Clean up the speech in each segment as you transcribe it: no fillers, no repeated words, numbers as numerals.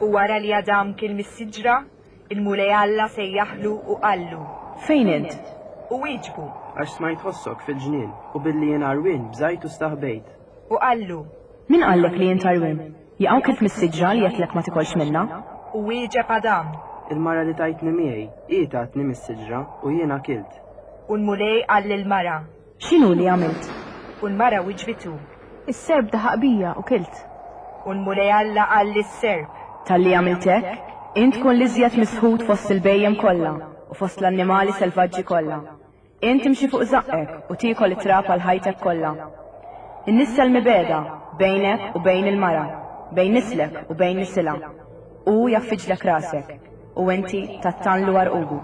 U wara li Adam kiel mis-siġra, il-Mulej Alla sejjaħlu u qallu. Fejn int? U wieġbu. Għax smajt ħossok fil-ġnien, u billi jien għarwien bżajt u staħbejt. U qallu. Min qallek li int għarwien? Jaqaw kilt mis-siġra li għedtlek ma tikolx minnha? U wieġeb Adam. Il-mara li tajtni miegħi, hi tatni mis-siġra, u jiena kilt. U l-Mulej qal lill-mara. X'inhu li għamilt? U l-mara wiġbitu. Is-serp daħaq bija u kilt. U l-Mulej Alla qal lis-serp. Talli għamilt hekk, int tkun l-iżjed misħut fost il-bhejjem kollha u fost l-annimali selvaġġi kollha. Int timxi fuq żaqqek u tiekol it-trab għal ħajtek kollha. Innissel mibegħda bejnek u bejn il-mara, bejn nislek u bejn nisilha. Hu jgħaffiġlek rasek, u inti tattanlu għarqubu.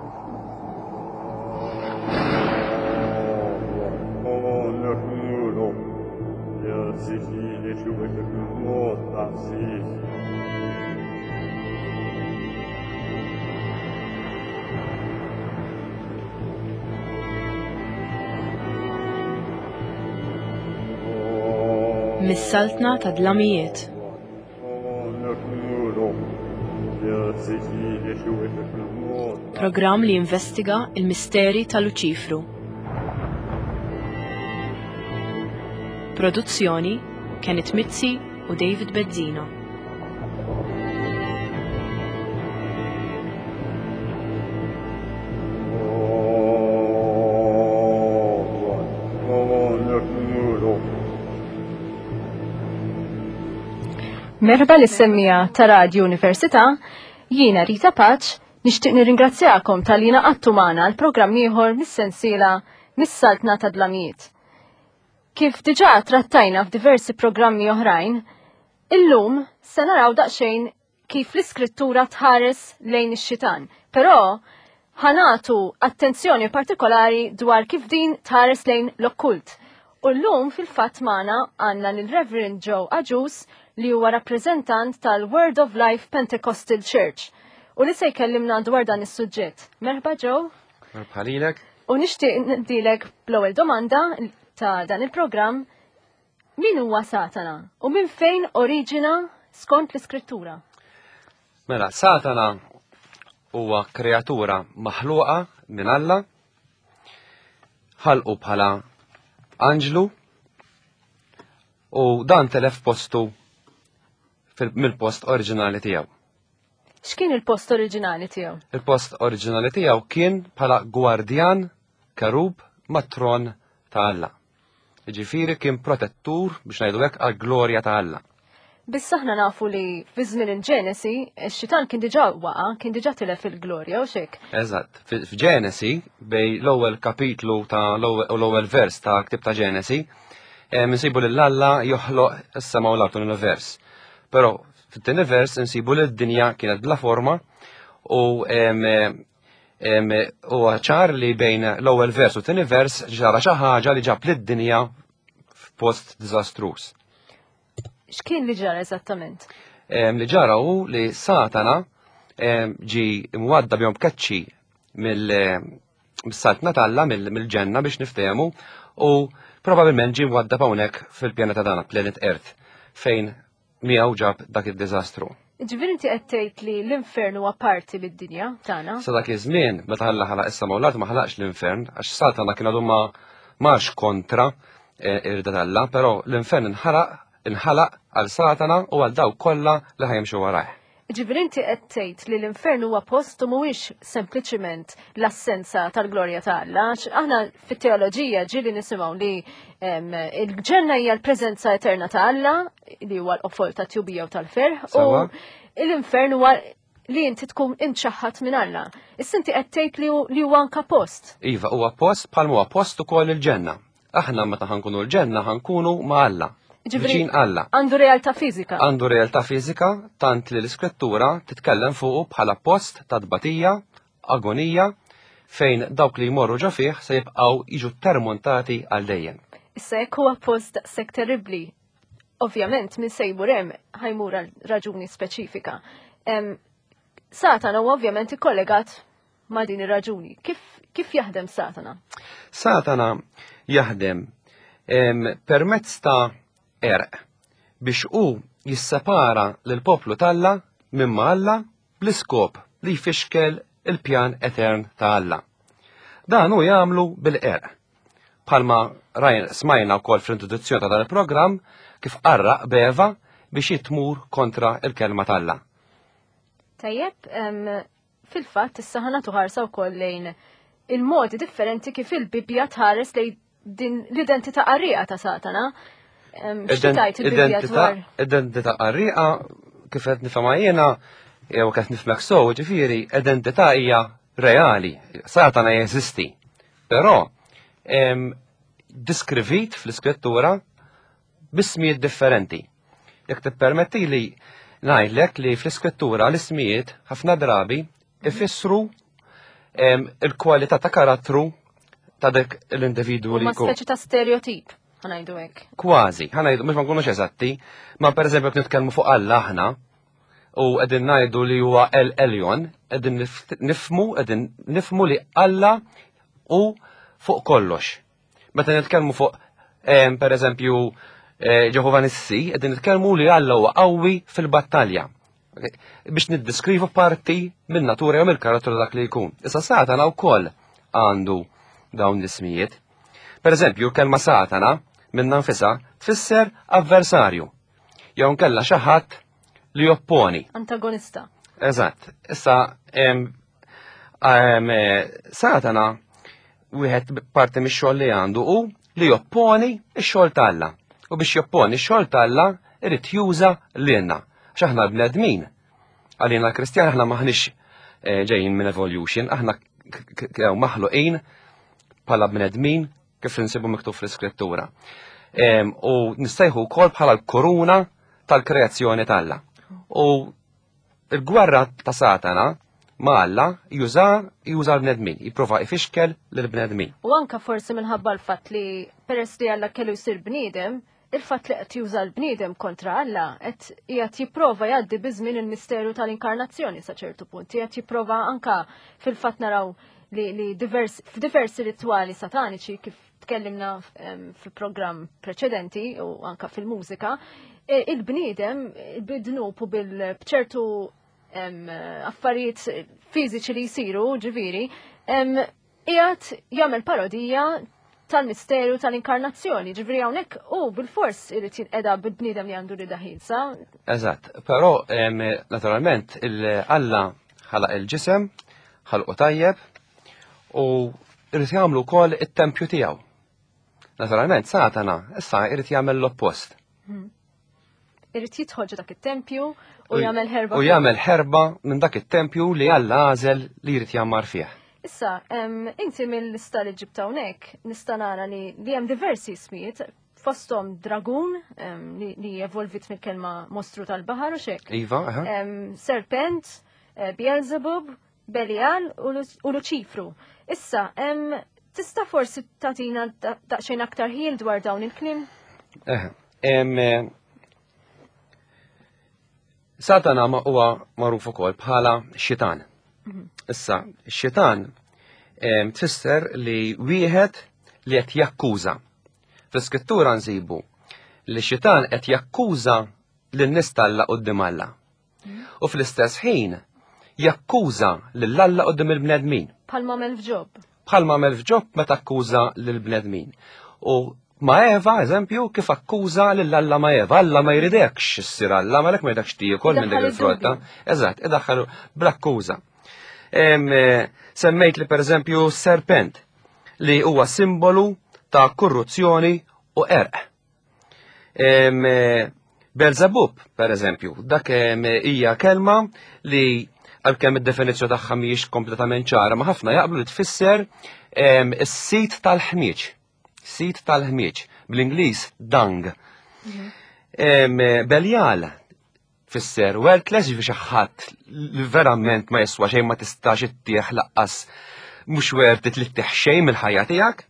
Mis-saltna ta' dlamijiet. Programm li jinvestiga il-misteri ta' Luċifru. Produzzjoni Kenneth Mizzi u David Bezzina. Merħba lis-semmija ta' Radio Università, jiena Rita Paċ, nixtieq nirringrazzjakom tal-li naqattu magħna l-programm ieħor mis-sensiela Mis-Saltna ta' Dlamijiet. Kif diġà trattajna f'diversi programmi oħrajn, illum se naraw daqsxejn kif l-iskrittura tħares lejn ix-xitan. Però ħanatu attenzjoni partikolari dwar kif din tħares lejn l-okkult. U llum fil-fatt magħna għandna lil Reverend Joe Agius li huwa rappreżentant tal-Word of Life Pentecostal Church u li se jkellimna dwar dan is-suġġett. Merħba Joe. Merħba lilek. U nixtieq ndilek bl-ewwel domanda ta' dan il-programm Min huwa Satana u minn fejn oriġina skont l-Iskrittura? Mela, Satana huwa kreatura maħluqa minn Alla, ħalqu bħala anġlu u dan telef postu mill-post oriġinali tiegħu. X'kien il-post oriġinali tiegħu? Il-post oriġinali tiegħu kien bħala gwardjan kerub mat-tron ta' Alla. Ġifieri kien protettur biex ngħidu hekk għall-glorja ta' Alla. Biss aħna nafu li fi żmien il-Ġenesi, ix-xitan kien diġà waqa', kien diġà tilef il-glorja u xek. Eżatt. F'Ġenesi, bej l-ewwel kapitlu ta' l-ewwel vers ta' ktib ta' Ġenesi, eh, nsibu lil Alla joħloq is-sema u l-art l-univers. Però fit-tieni vers insibu li d-dinja kienet bla forma u Huwa ċar li bejn l-ewwel vers u tieni vers ġara xi ħaġa li ġab lid-dinja f'post diżastruż. X'kien li ġara eżattament? Li ġara hu li Satana ġi mwadda bjom b'keċċi mill-saltna t'Alla mill-ġenna biex niftehmu u probabbilment ġi mwadda hawnhekk fil-pjaneta tagħna, planet Earth, fejn miegħu ġab dak id-diżastru. Ġifieri inti qed tgħid li l-infern huwa parti mid-dinja tagħna? Sa dak iż-żmien meta Alla ħalaq is-sema u l-art ma ħalaqx l-infern għax Satana kien għadu ma marx kontra eh, irda t'Alla, però l-infern inħalaq inħalaq għal Satana u għal dawk kollha li ħajimxu warajh. Ġifieri inti qed tgħid li l-infern huwa post u mhuwiex sempliċiment l-assenza tal-glorja ta' Alla. Aħna fit-teoloġija ġieli nisimgħu li il-ġenna hija l-preżenza eterna ta' Alla li huwa l-qofol ta' tjubija u tal-ferħ u l-infern huwa li inti tkun imċaħħat minn Alla. Issa inti qed tgħid li huwa anka post. Iva, huwa post bħal huwa post ukoll il-ġenna. Aħna meta ħankunu l-ġenna ħankunu ma' Alla. Viċin Alla. Għandu realtà fiżika. Għandu realtà fiżika tant li l-iskrittura titkellem fuqu bħala post ta' tbatija, agonija, fejn dawk li jmorru ġo fih se jibqgħu jiġu termontati għal dejjem. Issa jekk huwa post daqshekk terribbli, ovvjament min se jmur hemm ħajmur għal raġuni speċifika. Satana huwa ovvjament ikkollegat ma' din ir-raġuni. Kif, kif jaħdem Satana? Satana jaħdem permezz ta' erq biex hu jissepara lil poplu talla minn ma' Alla bl-iskop li jfixkel il-pjan etern ta' Alla. Dan hu jagħmlu bil-qerq. Bħalma rajn smajna wkoll fl-introduzzjoni ta' dan il-programm kif qarraq b'Eva biex jitmur kontra il-kelma t'Alla. Tajjeb, fil-fatt issa ħa nagħtu ħarsa wkoll lejn il-modi differenti kif il-Bibbja tħares lejn din l-identità qarrieqa ta' Satana. X'tajt il-Bibbja dwar? Identità qarrieqa kif qed nifhemha jiena jew kif nifhmek sew, ġifieri identità hija reali, Satana jeżisti. Però diskrivit fl-iskrittura b'ismijiet differenti. Jekk tippermetti li ngħidlek li fl-iskrittura l-ismijiet ħafna drabi ifissru il-kwalità ta' karattru ta' dak l-individwu li jkun. Ma speċi ta' stereotip, ħanajdu hekk. Kważi, ħanajdu, mhux ma nkunux eżatti, ma pereżempju jekk nitkellmu fuq Alla aħna u qegħdin ngħidu li huwa El Elyon, qegħdin nifmu, qegħdin nifmu li Alla hu fuq kollox. Meta nitkellmu fuq per eżempju eh, Ġehova Nissi, qegħdin nitkellmu li Alla huwa qawwi fil-battalja. Biex niddiskrivu parti minn natura jew mill-karattru dak li jkun. Issa Satana wkoll għandu dawn l-ismijiet. Per eżempju, kelma Satana minn nfisha tfisser avversarju. Jew nkella xi ħadd li jopponi. Antagonista. Eżatt. Issa Satana wieħed parti mix-xogħol li għandu hu li jopponi x-xogħol t'Alla. U biex jopponi x-xogħol t'Alla irid juża lilna. Għax aħna bnedmin. Għalina l-Kristjan aħna maħniex eh, ġejjin minn evolution, aħna maħluqin bħala bnedmin kif insibu miktub fl-iskrittura. U nistajħu wkoll bħala l-koruna tal-kreazzjoni t'Alla. U il-gwerra ta' Satana ma' Alla juża juża l-bnedmin, jipprova ifixkel lill-bnedmin. U anka forsi minħabba l-fatt li peress li Alla kellu jsir bniedem, il-fatt li qed juża l-bniedem kontra Alla qed qiegħed jipprova jgħaddi biż-żmien il-misteru tal-inkarnazzjoni sa ċertu punt, qiegħed jipprova anka fil-fatt naraw li, li divers, f'diversi ritwali sataniċi kif tkellimna fil-programm preċedenti u anka fil-mużika, e, il-bniedem bid-dnub u bil-bċertu affarijiet fiżiċi li jsiru, ġifieri, qiegħed jagħmel parodija tal-misteru tal-inkarnazzjoni, ġifieri hawnhekk u bil-fors irid jinqeda bil-bniedem li għandu rida ħielsa. Eżatt, però naturalment il-Alla ħalaq il-ġisem, ħalqu tajjeb u irid jagħmlu wkoll it-tempju tiegħu. Naturalment Satana issa irid jagħmel l-oppost. Hmm. Irid jidħol ġo dak it-tempju u jagħmel ħerba. U jagħmel ħerba minn dak it-tempju li Alla għażel li jrid jgħammar fih. Issa, inti mill-lista li ġibt hawnhekk nista' nara li li hemm diversi ismijiet fosthom dragun li evolvit mill-kelma mostru tal-baħar u xek. Iva, aha. Serpent, eh, Beelzebub, Belial u Luċifru. Issa, tista' forsi tagħtina daqsxejn aktar ħin dwar dawn il-kliem? Eh, eh, Satana ma huwa magħruf ukoll bħala xitan. Mhm. Issa, xitan tfisser li wieħed li qed jakkuża. Fl-iskrittura nsibu li xitan qed jakkuża lin-nies t'Alla quddiem Alla. U fl-istess ħin jakkuża lil Alla qudiem il-bnedmin. Bħalma għamel f'Ġob. Bħalma għamel f'Ġob meta akkuża lill-bnedmin. U ma' Eva, eżempju, kif akkuża lil Alla ma' Eva. Alla ma jridekx issir Alla, ma lek ma jridekx tiekol minn dik il-frotta. Eżatt, idaħħalu bl-akkuża. Eh, semmejt li pereżempju serpent li huwa simbolu ta' korruzzjoni u erq. Eh, Belzebub, per eżempju, dak hija kelma li għalkemm id-definizzjoni tagħha mhijiex kompletament ċara, ma ħafna jaqblu li tfisser is-sit tal-ħmieġ. Sit tal-ħmieġ, bl-Ingliż dung. Mhm. Beljal Fisser worthless jiġifieri xi ħadd li verament ma jiswa xejn ma tistax ittieħ laqqas mhux worth it li ttieħ xejn mill-ħajja tiegħek.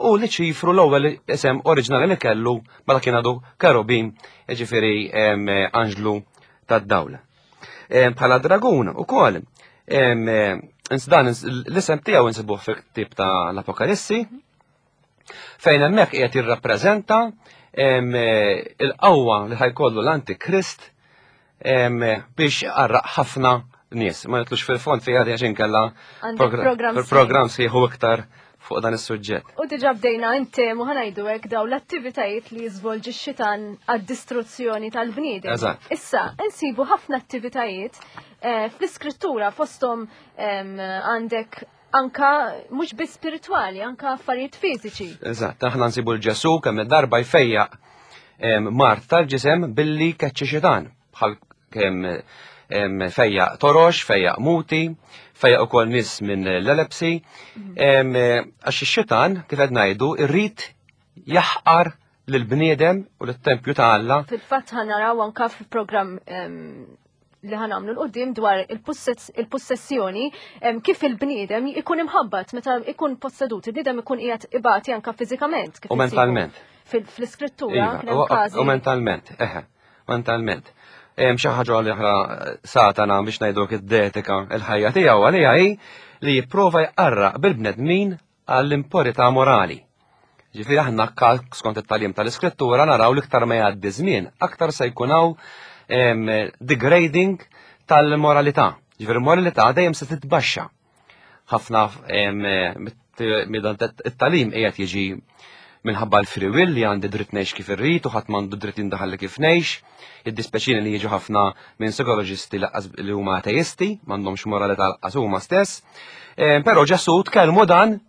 U li ċifru l-ewwel isem oriġinali li kellu meta kien għadu kerubim, jiġifieri anġlu tad-dawl. Bħala dragun ukoll dan l-isem tiegħu insibuh fil-ktieb ta' l-Apokalissi, Fejn hemmhekk qiegħed jirrappreżenta il-qawwa li ħajkollu l-Antikrist biex qarraq ħafna nies. Ma nitlux fil-fond fiha għax inkella program sħiħu iktar fuq dan is-suġġett. U diġà bdejna intemu ħanajdu hekk daw l-attivitajiet li jiżvolġi x-xitan għad-distruzzjoni tal-bniedem. Issa, insibu ħafna attivitajiet eh, fl-iskrittura fosthom għandek anka mhux biss spiritwali, anka affarijiet fiżiċi. Eżatt, aħna nsibu l-Ġesu kemm darba jfejjaq mart tal-ġisem billi keċċi xitan, bħal kemm fejjaq torox, fejjaq muti, fejjaq ukoll nies minn l-elepsi, mhm. għax ix-xitan kif qed ngħidu irrid jaħqar lill-bniedem u lit-tempju ta' Alla. Fil-fatt ħanaraw anka fil-programm li ħanamlu l-qoddim dwar il-possessjoni kif il-bniedem ikun imħabbat meta ikun possedut, il-bniedem ikun qiegħed ibati anka fiżikament. U mentalment. Fl-iskrittura. Iva, u mentalment, eħe, mentalment. Xi ħaġa li oħra Satana biex ngħidu id-detika il-ħajja tiegħu għalija hi li jipprova jqarraq bil-bnedmin għall-impurità morali. Ġifieri aħna skont it-tagħlim tal-Iskrittura naraw l-iktar ma jgħaddi żmien, aktar se jkun hawn degrading tal-moralità. Ġifieri moralità dejjem se titbaxxa. Ħafna it-tagħlim qiegħed jiġi minħabba l-free will li għandi dritt ngħix kif irrid u ħadd m'għandu dritt jindaħal kif ngħix. Jiddispjaċini li jiġu ħafna minn psikoloġisti li huma ateisti, m'għandhomx moralità laqqas huma stess. Eh, però Ġesù tkellmu dan,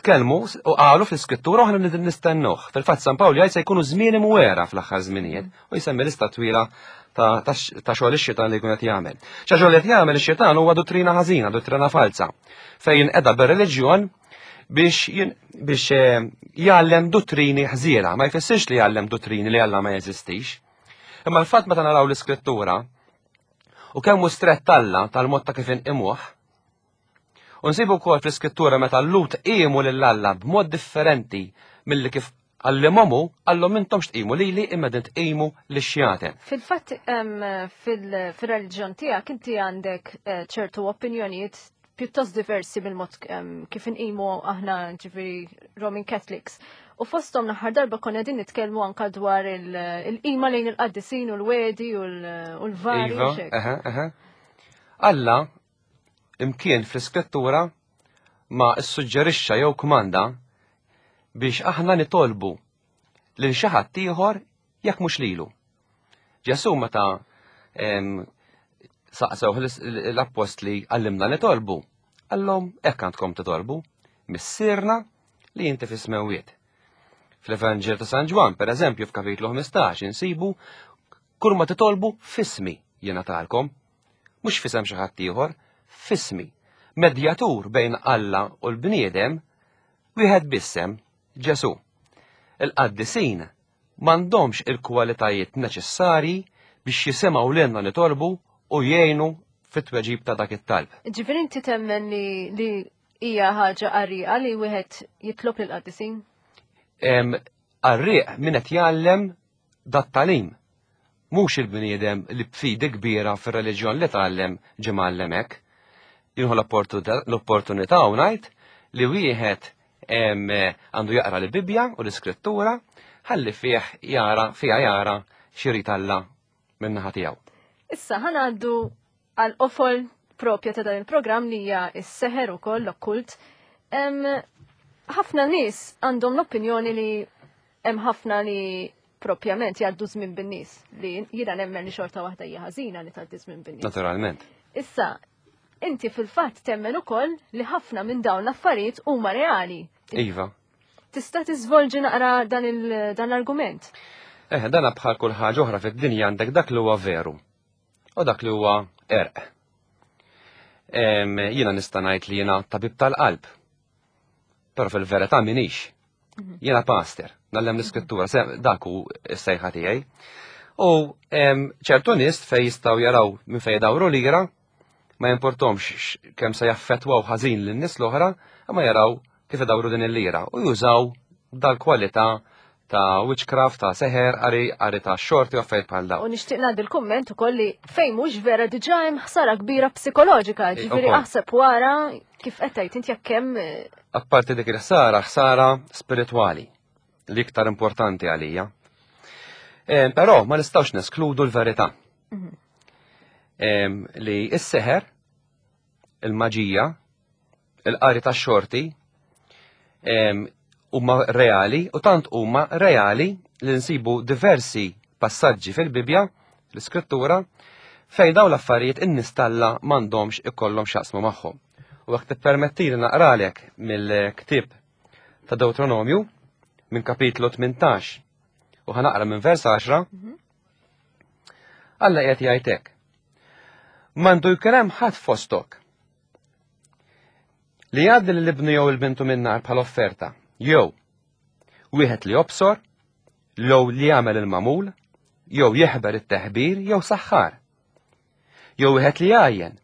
tkellmu u qalu fl-iskrittura u aħna nistennuh. Fil-fatt San Pawl jgħid se jkunu żmien imwera fl-aħħar żminijiet u jsemmi lista twila ta' xogħol ix-xitan li jkun qed jagħmel. Xa xogħol qed jagħmel ix-xitan huwa dottrina ħażina, dottrina falsa, fejn qiegħda bir-reliġjon biex biex eh, jgħallem dottrini ħżiena, ma jfissirx li jgħallem dottrini li Alla ma jeżistix. Imma l-fatt meta naraw l-iskrittura u kemm hu strett Alla tal-mod ta' kif inqimuh, U nsibu wkoll fl-iskrittura meta l-Lut qiemu lil Alla b'mod differenti milli kif għallimhom hu, qallhom intom x'tqimu lili imma din tqimu lix-xjaten. Fil-fatt fil-reliġjon tiegħek inti għandek eh, ċertu opinjonijiet pjuttost diversi mill-mod kif inqimu aħna ġifieri Roman Catholics. U fosthom l-aħħar darba konna qegħdin nitkellmu anka dwar il-qima lejn il-qaddisin u l-wedi u l-vari. Iva, Alla imkien fl-iskrittura ma ssuġġerixxa jew kmanda biex aħna nitolbu lil xi ħadd ieħor jekk mhux lilu. Ġesù meta saqsew l-appostli għallimna nitolbu, għallhom hekk għandkom titolbu, missierna li inti fis-smewwiet. Fl-Evanġel ta' San Ġwann, per eżempju, f'kapitlu 15 insibu kull ma titolbu fismi jingħatalkom, mhux fisem xi ħadd ieħor, fismi. Medjatur bejn Alla u l-bniedem wieħed bissem, Ġesù. Il-qaddisin m'għandhomx il-kwalitajiet neċessarji biex jisimgħu lilna nitolbu u jgħinu fit-tweġib ta' dak it-talb. Ġifieri inti temmen li, li hija ħaġa qarrieqa li wieħed jitlob lil qaddisin? Qarrieq min qed jgħallem dat-tagħlim. Mhux il-bniedem li b'fidi kbira fir-reliġjon li tgħallem ġie mgħallem hekk. Jieħu l-opportunità u ngħid li wieħed għandu jaqra l-Bibbja u l-Iskrittura ħalli fih jara fiha jara x'irid Alla min-naħa tiegħu. Issa ħanaddu għal qofol propja ta' dan il-programm li hija s-seħer ukoll l-okkult. Ħafna nies għandhom l-opinjoni li hemm ħafna li propjament jgħaddu żmien bin-nies li jiena nemmen li xorta waħda hija ħażina li tgħaddi żmien bin-nies. Naturalment. Issa, inti fil-fatt temmen ukoll li ħafna minn dawn l-affarijiet huma reali. Iva. Tista' tiżvolġi naqra dan l-argument? Eh, dan bħal kull ħaġa oħra fid-dinja għandek dak li huwa veru u dak li huwa erq. Jiena nista' ngħid li jiena tabib tal-qalb. Però fil-verità minix. Mhm. Jiena pastor, nallem l-iskrittura, dak hu s-sejħa tiegħi. U ċertu nies fej jistgħu jaraw minn fejn dawru lira, ma jimportomx kemm se jaffettwaw ħażin lin-nies l-oħra, imma jaraw kif idawru din il-lira u jużaw dal-kwalità ta' witchcraft, ta' seħer, qari, qari ta' xorti u affarijiet bħal dawn. U nixtieq ngħaddi l-kumment ukoll li fejn mhux vera diġà hemm ħsara kbira psikoloġika, eh, ġifieri aħseb wara kif qed tgħid inti jekk hemm eh, Apparti dik il-ħsara, ħsara spiritwali li iktar importanti għalija. Eh, però ma nistgħux neskludu l-verità. Li s-seħer, il-maġija, il-qari tax-xorti huma reali u tant huma reali li nsibu diversi passaġġi fil-Bibja, l-Iskrittura, fejn dawn l-affarijiet in-nies t'Alla m'għandhomx ikollhom x'jaqsmu magħhom. U jekk tippermettili naqralek mill-ktieb ta' Deuteronomju minn kapitlu 18 u ħanaqra minn vers 10, Alla qiegħed jgħid hekk. M'għandu jkun hemm ħadd fostok li jgħaddi lil ibnu jew il-bintu min-nar bħala offerta, jew wieħed li jobsor, jew li jagħmel il-magħmul, jew jeħber it-teħbir jew saħħar. Jew wieħed li jgħajjen,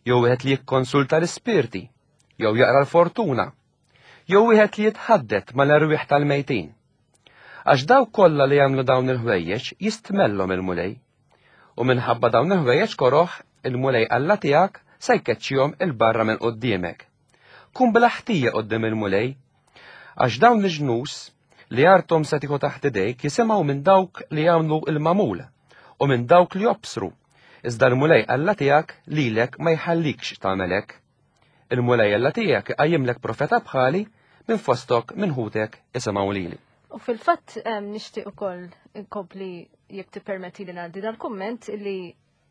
jew wieħed li jikkonsulta l-ispirti, jew jaqra l-fortuna, jew wieħed li jitħaddet mal-erwieħ tal-mejtin. Għax dawk kollha li jagħmlu dawn il-ħwejjeġ jistmellhom il-Mulej. U minħabba dawn il-ħwejjeġ koroh, il-Mulej Alla tiegħek se jkeċċihom 'il barra minn quddiemek. Kun bla ħtija quddiem il-Mulej, għax dawn il-ġnus li arthom se tieħu taħt idejk jisimgħu minn dawk li jagħmlu l-magħmul u minn dawk li jobsru, iżda l-Mulej Alla tiegħek lilek ma jħallikx tagħmel hekk. Il-Mulej Alla tiegħek iqajjimlek profeta bħali minn fostok minn ħutek isimgħu lili. U fil-fatt nixtieq ukoll inkompli jekk tippermetti li ngħaddi dal-kumment li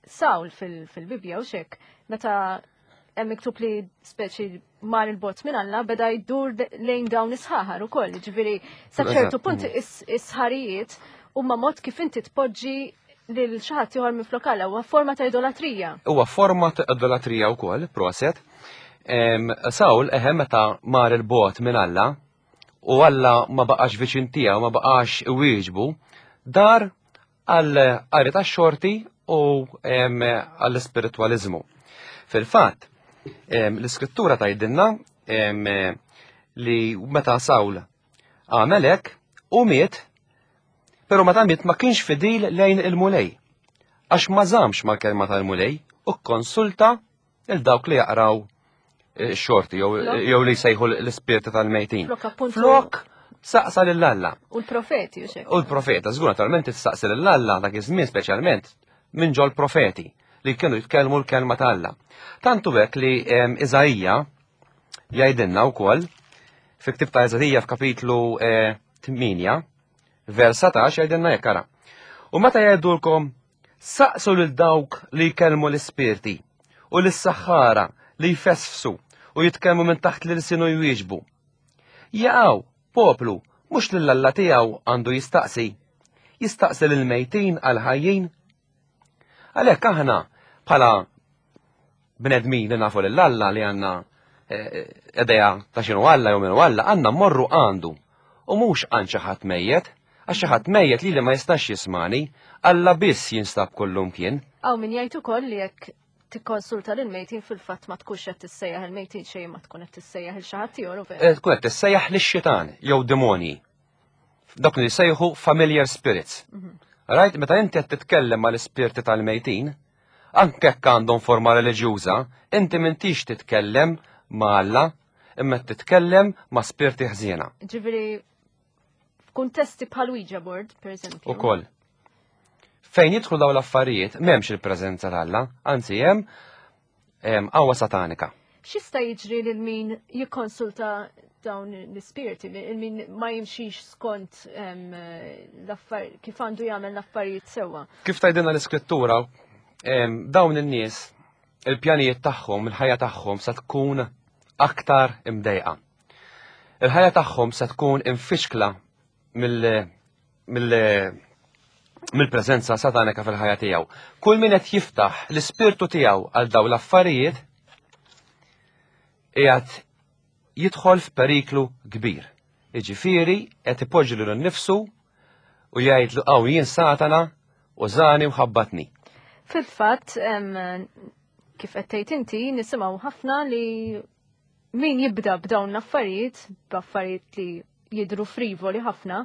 Sawl fil-Bibbja u xek, meta hemm miktub li speċi mar il-bot minn Alla beda jdur lejn dawn is-sħaħar ukoll, ġifieri sa ċertu punt is-sħarijiet huma mod kif inti tpoġġi lil xi ħadd ieħor minn flok Alla huwa forma ta' idolatrija. Huwa forma ta' idolatrija wkoll, proset. Sawl eħe meta mar il-bot minn Alla u Alla ma baqax viċin tiegħu, ma baqax iwieġbu, dar għal qari tax-xorti u għall-ispiritwaliżmu. Fil-fatt, l-iskrittura tgħidilna li meta Sawl għamel hekk u miet, però meta miet ma kienx fidil lejn il-Mulej. Għax ma żamx mal-kelma tal-Mulej u kkonsulta il dawk li jaqraw eh, xorti jew li jsejħu l-ispirti tal-mejtin. Flok saqsa lil Alla. U l-profeti u U l-profeta, żgur naturalment tistaqsi lil Alla dak iż-żmien speċjalment minn ġol profeti li kienu jitkellmu l-kelma ta' Alla. Tantu hekk li Iżaija jgħidilna wkoll fi ktib ta' Iżaija f'kapitlu 8 eh, vers 17 jgħidilna jekk ara. U meta jgħidulkom Saqsu lil dawk li jkellmu l-ispirti u lis-saħħara li jfesfsu u jitkellmu minn taħt l-ilsien u jwieġbu. Jaqaw, poplu, mhux lil Alla tiegħu għandu jistaqsi. Jistaqsi lill-mejtin għall-ħajjin. Għalhekk aħna bħala bnedmin li nafu lil Alla li għandna eh, idea ta' x'inhu Alla jew minnu Alla, għandna mmorru għandu u mhux għand xi ħadd mejjet, għax xi ħadd mejjet li li ma jistax jismani, Alla biss jinstab kullumkien. Hawn min jgħid ukoll li jekk tikkonsulta lil mejtin fil-fatt ma tkunx qed tissejjaħ il-mejtin xejn ma tkun qed tissejjaħ il xi ħadd ieħor u vera. Eh, tkun qed tissejjaħ lix-xitan jew demonji. Dawk li jsejħu familiar spirits. Mhm. Rajt, meta inti qed titkellem mal-ispirti tal-mejtin, Anke jekk għandhom forma reliġjuża, inti m'intix titkellem ma' Alla, imma qed titkellem ma' spirti ħżiena. Ġifieri f'kuntesti bħal Ouija board, per eżempju. Ukoll. Fejn jidħlu dawn l-affarijiet m'hemmx il-preżenza t'Alla, anzi hemm qawwa satanika. X'jista' jiġri lil min jikkonsulta dawn l-ispirti, min ma jimxix skont kif għandu jagħmel l-affarijiet sewwa? Kif tgħidilna l-Iskrittura, dawn in-nies il-pjanijiet tagħhom, il-ħajja tagħhom se tkun aktar imdejqa. Il-ħajja tagħhom se tkun imfixkla mill-preżenza satanika fil-ħajja tiegħu. Kull min qed jiftaħ l-ispirtu tiegħu għal dawn l-affarijiet qiegħed jidħol f'periklu kbir. Jiġifieri qed ipoġġi lilu nnifsu u jgħidlu hawn jien Satana użani u ħabbatni. Fil-fatt, kif qed tgħid inti, nisimgħu ħafna li min jibda b'dawn l-affarijiet, b'affarijiet li jidru frivoli ħafna,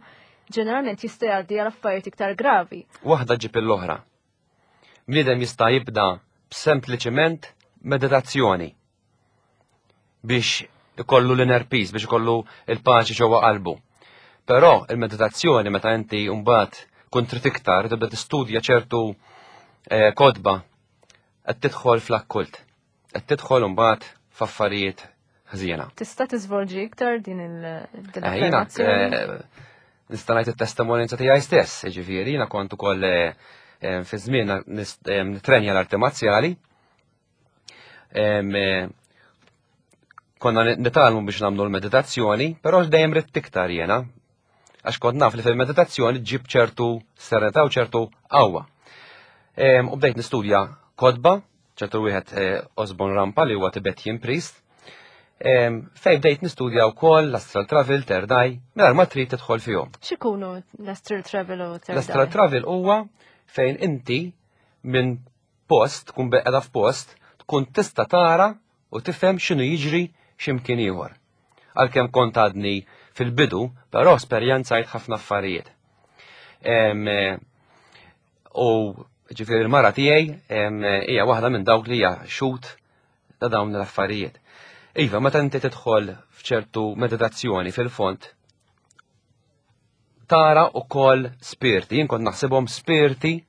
ġeneralment jista' jgħaddi għal affarijiet iktar gravi. Waħda ġib l-oħra. Bniedem jista' jibda b'sempliċiment meditazzjoni biex ikollu l-inner peace, biex ikollu il-paċi ġewwa qalbu. Però il-meditazzjoni meta inti mbagħad kun trid iktar tibda tistudja ċertu eh, kotba qed tidħol fl-akkult. Qed tidħol imbagħad f'affarijiet ħżiena. Tista' tiżvolġi iktar din il-affermazzjoni? Eh, nista' ngħid it-testimonjanza tiegħi stess, jiġifieri jiena kont ukoll eh, fi żmien nitrenja l-arti marzjali. Konna nitalmu biex nagħmlu l-meditazzjoni, però dejjem ridt iktar jiena, għax kont naf li fil-meditazzjoni ġib ċertu serenità u ċertu qawwa. U bdejt nistudja kodba, ċertu wieħed eh, Osborne Rampa li huwa Tibetan priest, fej bdejt nistudja wkoll l-astral travel, third eye, mingħajr ma trid tidħol fihom. X'ikunu l-astral travel u third eye? L-astral travel huwa fejn inti minn post, tkun beqeda f'post, tkun tista' tara u tifhem x'inhu jiġri x'imkien ieħor. Għalkemm kont għadni fil-bidu, però esperjenzajt ħafna affarijiet. Eh, u ġifieri l-mara tiegħi hija waħda minn dawk li hija xut ta' dawn l-affarijiet. Iva, meta inti tidħol f'ċertu meditazzjoni fil-fond, tara u kol spirti, jien kont naħsibhom spirti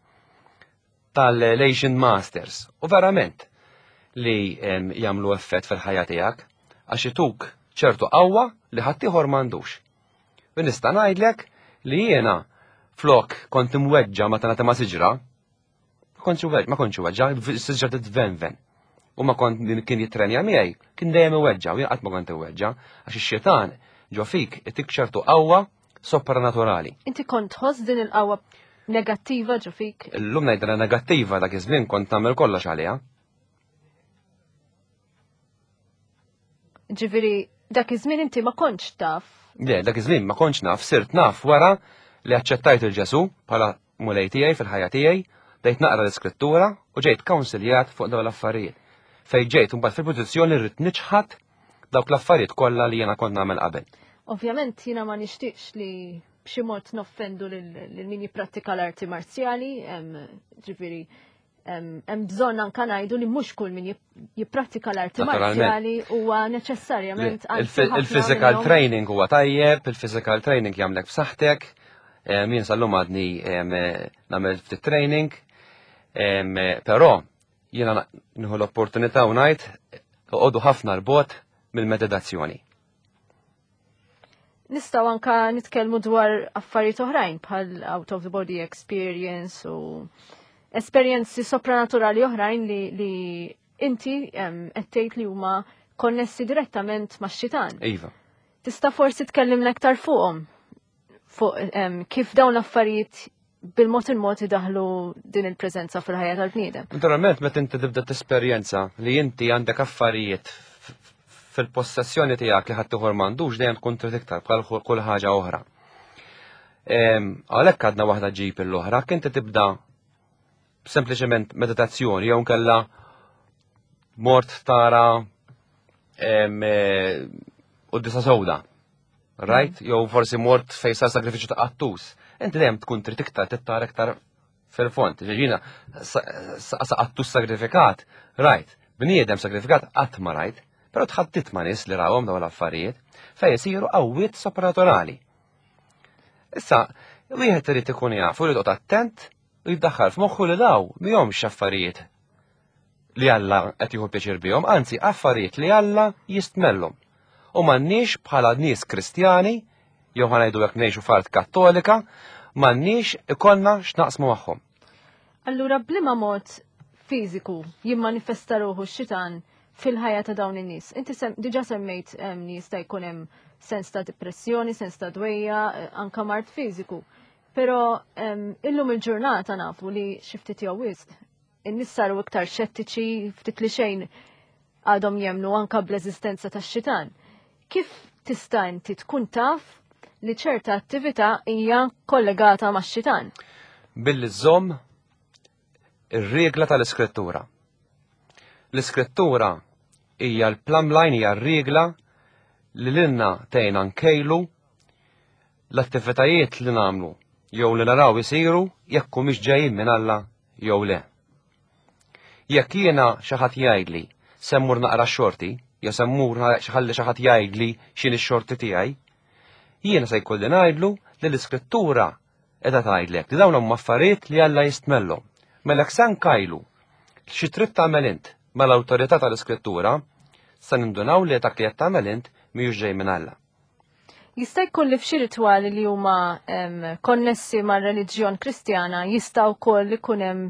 tal-Asian Masters. U verament li jagħmlu effett fil-ħajja tiegħek għax ituk ċertu qawwa li ħaddieħor m'għandux. U nista' ngħidlek li jiena flok kont imweġġa meta nagħti ma' siġra, ma kontx weġġa, siġra titvenven. U ma kont kien jitrenja miegħi, kien dejjem iweġġa, u jien qatt ma kont iweġġa, għax ix-xitan ġo fik itik ċertu qawwa sopranaturali. Inti kont tħoss din il-qawwa negattiva ġo fik? Illum ngħidilha negattiva dak iż-żmien kont nagħmel kollox għaliha. Ġifieri dak iż-żmien inti ma kontx taf. Le, dak iż-żmien ma kontx naf, sirt naf wara li aċċettajt il-Ġesu bħala mulej tiegħi fil-ħajja tiegħi, bdejt naqra l-iskrittura u ġejt kawnsiljat fuq dawn l-affarijiet. Fejn ġejt imbagħad fil-pożizzjoni rrid niċħad dawk l-affarijiet kollha li jiena kont nagħmel qabel. Ovvjament jiena ma nixtieqx li b'xi mod noffendu lil min jipprattika l-arti marzjali, ġifieri hemm bżonn anka ngħidu li mhux kull min jipprattika l-arti marzjali huwa neċessarjament Il-physical training huwa tajjeb, il-physical training jagħmlek b'saħħtek, jien sal-lum għadni nagħmel ftit training, però Jiena nieħu l-opportunità u ngħid oqogħdu ħafna l-bot mill-meditazzjoni. Nistgħu anka nitkellmu dwar affarijiet oħrajn bħal out of the body experience u esperjenzi sopranaturali oħrajn li, li inti qed tgħid li huma konnessi direttament max-xitan. Iva. Tista' forsi tkellimna aktar fuqhom fuq kif dawn l-affarijiet bil-mod il-mod idaħlu din il-preżenza fil-ħajja tal-bniedem. Naturalment, meta inti tibda tesperjenza li inti għandek affarijiet fil-possessjoni tiegħek li ħadd ieħor m'għandux dejjem tkun trid iktar bħal kull ħaġa oħra. Għalhekk għadna waħda ġib l-oħra, kien tibda sempliċement meditazzjoni jew nkella mort tara eh, u disa sewda. Right? Mm. Jew forsi mort fejn sar sagrifiċċju ta' qattus. Inti dejjem tkun trid iktar tittar iktar fil-fond. Ġiġina, sa qattus sagrifikat, right? Bniedem sagrifikat qatt ma rajt, però tħaddit ma' nies li rawhom dawn l-affarijiet fejn isiru qawwiet sopranaturali. Issa, wieħed irid ikun jaf u jrid attent u jiddaħħal f'moħħu li daw mihomx affarijiet li Alla qed jieħu pjaċir bihom, anzi affarijiet li Alla jistmellhom. U m'għandniex bħala nies Kristjani, jew ħa ngħidu jekk ngħixu f'art Kattolika, m'għandniex ikollna x'naqsmu magħhom. Allura b'liema mod fiżiku jimmanifesta ruħu x-xitan fil-ħajja ta' dawn in-nies? Inti sem, diġà semmejt li jista' jkun hemm sens ta' depressjoni, sens ta' dwejja, eh, anka mard fiżiku. Però illum il-ġurnata nafu li xi ftit jew wisq in-nies saru iktar xettiċi ftit li xejn għadhom jemnu anka bl-eżistenza tax-xitan. Kif tista' inti tkun taf li ċerta attività hija kollegata max-xitan? Billi żomm ir-regla tal-iskrittura. L-iskrittura hija l-plumb line hija r-regla li lilna tgħinna nkejlu l-attivitajiet li nagħmlu jew li naraw isiru jekk humiex ġejjin minn Alla jew le. Jekk jiena xi ħadd jgħidli se mmur naqra x-xorti, jew se mmur ħalli xi ħadd jgħidli x'inhi x-xorti tiegħi, jiena se jkolli ngħidlu li l-iskrittura qiegħda tgħidlek li dawn huma affarijiet li Alla jistmellhom. Mela jekk se nkajlu xi trid tagħmel int mal-awtorità tal-Iskrittura, se nindunaw li dak li qed tagħmel int mhijiex ġej minn Alla. Jista' jkun li f'xi ritwali li huma konnessi mar-reliġjon Kristjana jista' wkoll ikun hemm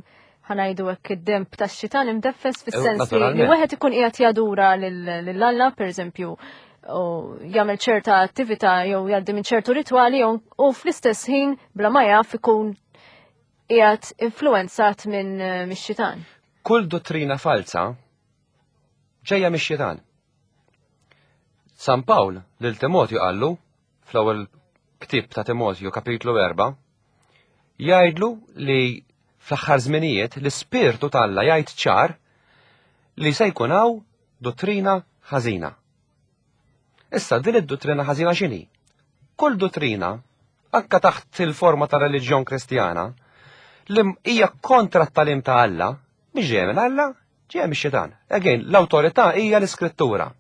ħanajdu hekk id-demb tax-xitan imdeffes eh, fis-sens li wieħed ikun qiegħed jadura lil Alla pereżempju u jagħmel ċerta attività jew jgħaddi minn ċertu ritwali u fl-istess ħin bla ma jaf ikun qiegħed influenzat minn eh, mix-xitan. Kull dottrina falsa ġejja mix-xitan. San Pawl lil Timotju qallu fl-ewwel ktieb ta' Timotju kapitlu 4 jgħidlu li fl-aħħar żminijiet l-ispirtu t'Alla jgħid ċar li se jkun hawn dottrina ħażina. Issa din id-dottrina ħażina x'inhi? Kull dottrina, anka taħt il-forma ta' reliġjon Kristjana, li hija kontra t-talim ta' Alla, mhix ġejja minn Alla, Ġejja mix-xitan. Again, l-awtorità hija l-Iskrittura.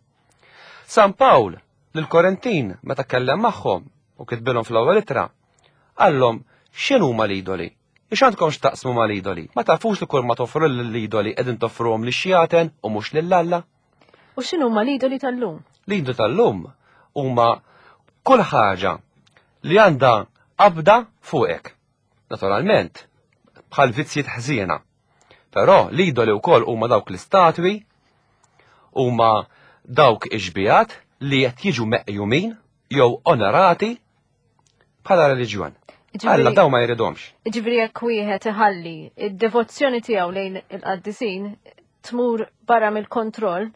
San Pawl lill-Korintin meta kellem magħhom u kitbilhom fl-ewwel ittra, qallhom x'inhuma l-idoli? Ix għandkom x'taqsmu mal-idoli? Ma tafux li kull ma toffru lill-idoli qegħdin toffruhom lix-xjaten u mhux lil Alla? U x'inhuma l-idoli tal-lum? L-idoli tal-lum huma kull ħaġa li għandha qabda fuqek. Naturalment, bħal vizzjiet ħżiena. Però l-idoli wkoll huma dawk l-istatwi, huma dawk ix-xbijat li qed jiġu meqjumin jew onorati bħala reliġjon. Alla daw ma jridhomx. Ġifieri jekk wieħed iħalli id-devozzjoni tiegħu lejn il-qaddisin tmur barra mill-kontroll,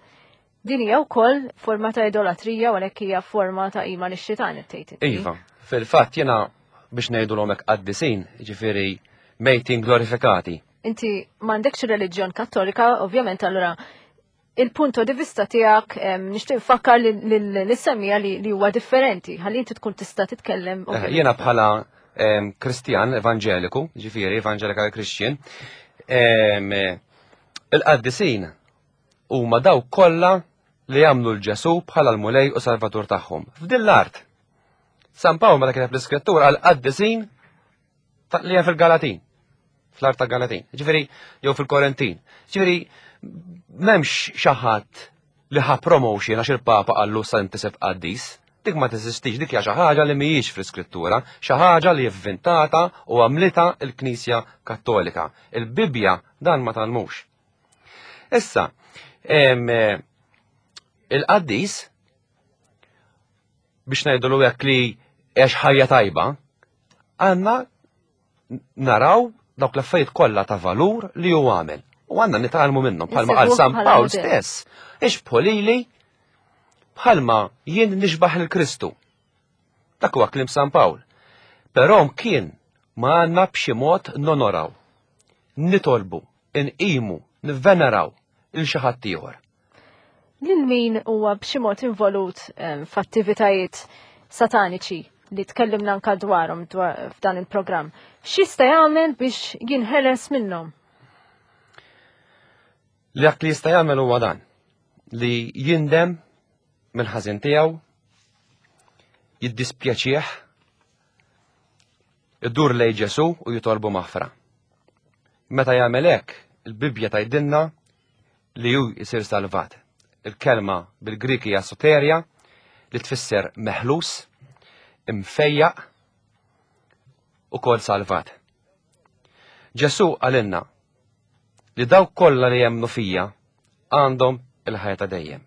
din hija wkoll forma ta' idolatrija u għalhekk hija forma ta' qima lix-xitan qed tgħid. Iva, fil-fatt jiena biex ngħidulhom hekk qaddisin, ġifieri mejtin glorifikati. Inti m'għandekx reliġjon kattolika, ovvjament allura il-punto di vista tiegħek nixtieq nfakkar lis-semmija li huwa differenti, ħalli inti tkun tista' titkellem. Eh, jiena bħala Kristjan evanġeliku, ġifieri evangelical Christian, il-qaddisin huma dawk kollha li jagħmlu l-Ġesu bħala l-Mulej u Salvatur tagħhom. F'din l-art. San Pawl meta kiteb l-iskrittura għal qaddisin li hemm fil-Galatin. Fl-art ta' Galatin. Ġifieri jew fil-Korentin. Ġifieri m'hemmx xi ħadd li ħa promotion għax il-Papa qallu sa intiseb qaddis. Dik ma teżistix, dik hija xi ħaġa li mhijiex fl-Iskrittura, xi ħaġa li vvintata u għamlitha l-Knisja Kattolika. Il-Bibbja dan ma tgħallmux. Issa, il-qaddis biex ngħidulu hekk li għex ħajja tajba, għandna naraw dawk l-affarijiet kollha ta' valur li hu għamel. U għandna nitgħallmu minnhom bħalma qal San Pawl stess. Ix bħolili bħalma jien nixbaħ il-Kristu. Dak huwa kliem San Pawl. Però kien ma għandna b'xi mod nonoraw, nitolbu, inqimu, nivveneraw il xi ħadd ieħor. Lil min huwa b'xi mod involut f'attivitajiet sataniċi li tkellimna anka dwarhom f'dan il-programm. X'jista' jagħmel biex jinħeles minnhom? Li dak li jista' jagħmel huwa dan li jindem mill-ħażin tiegħu, jiddispjaċih, idur lej Ġesu u jitolbu maħfra. Meta jagħmel hekk, il-Bibbja tgħidilna li hu jsir salvat. Il-kelma bil-Grik hija soteria li tfisser meħlus, imfejjaq u kol salvat. Ġesu għalinna li dawk kollha li jemmnu fija għandhom il-ħajja ta' dejjem.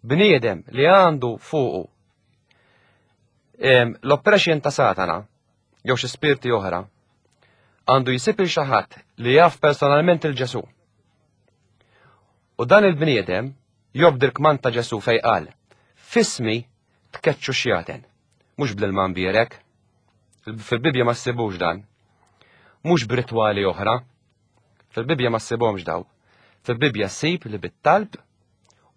Bniedem li għandu fuqu l-oppression ta' Satana jew xi spirti oħra għandu jsib il xi ħadd li jaf personalment il Ġesu. U dan il-bniedem jobdi l-kmand ta' Ġesu fej qal, fismi tkeċċu xjaten, mhux bl-ilma mbierek. Fil-Bibbja ma ssibux dan. Mhux b'ritwali oħra. Fil-Bibbja ma ssibhomx daw. Fil-Bibbja ssib li bit-talb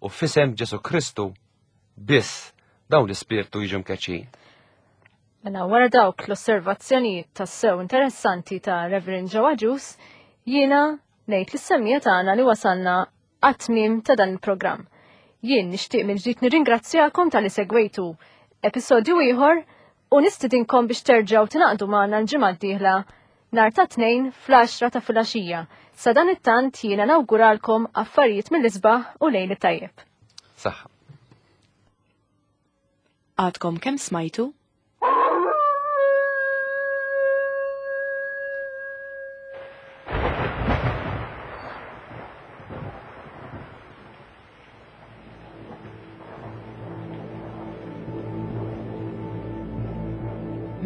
u fisem Ġesu Kristu biss dawn l-ispirtu jiġu mkeċċin. Mela wara dawk l-osservazzjonijiet tassew interessanti ta' Reverend Joe Agius, jiena ngħid lis-semmija tagħna li wasalna għat-tmiem ta' dan il-programm. Jien nixtieq mill-ġdid nirringrazzjakom talli segwejtu episodju ieħor u nistidinkom biex terġgħu tingħaqdu magħna l-ġimgħa d-dieħla. nhar ta' Tnejn fl-għaxra ta' filgħaxija. Sadanittant jiena nawguralkom affarijiet mill-isbaħ u lejl it-tajjeb. Saħħa. Għadkom kemm smajtu?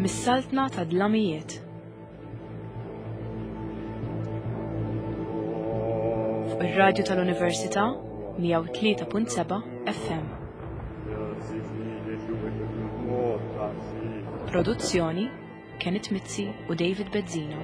Mis-saltna ta' dlamijiet. Fuq ir-radju tal-Università 103.7 FM. Produzzjoni Kenneth Mizzi u David Bezzina.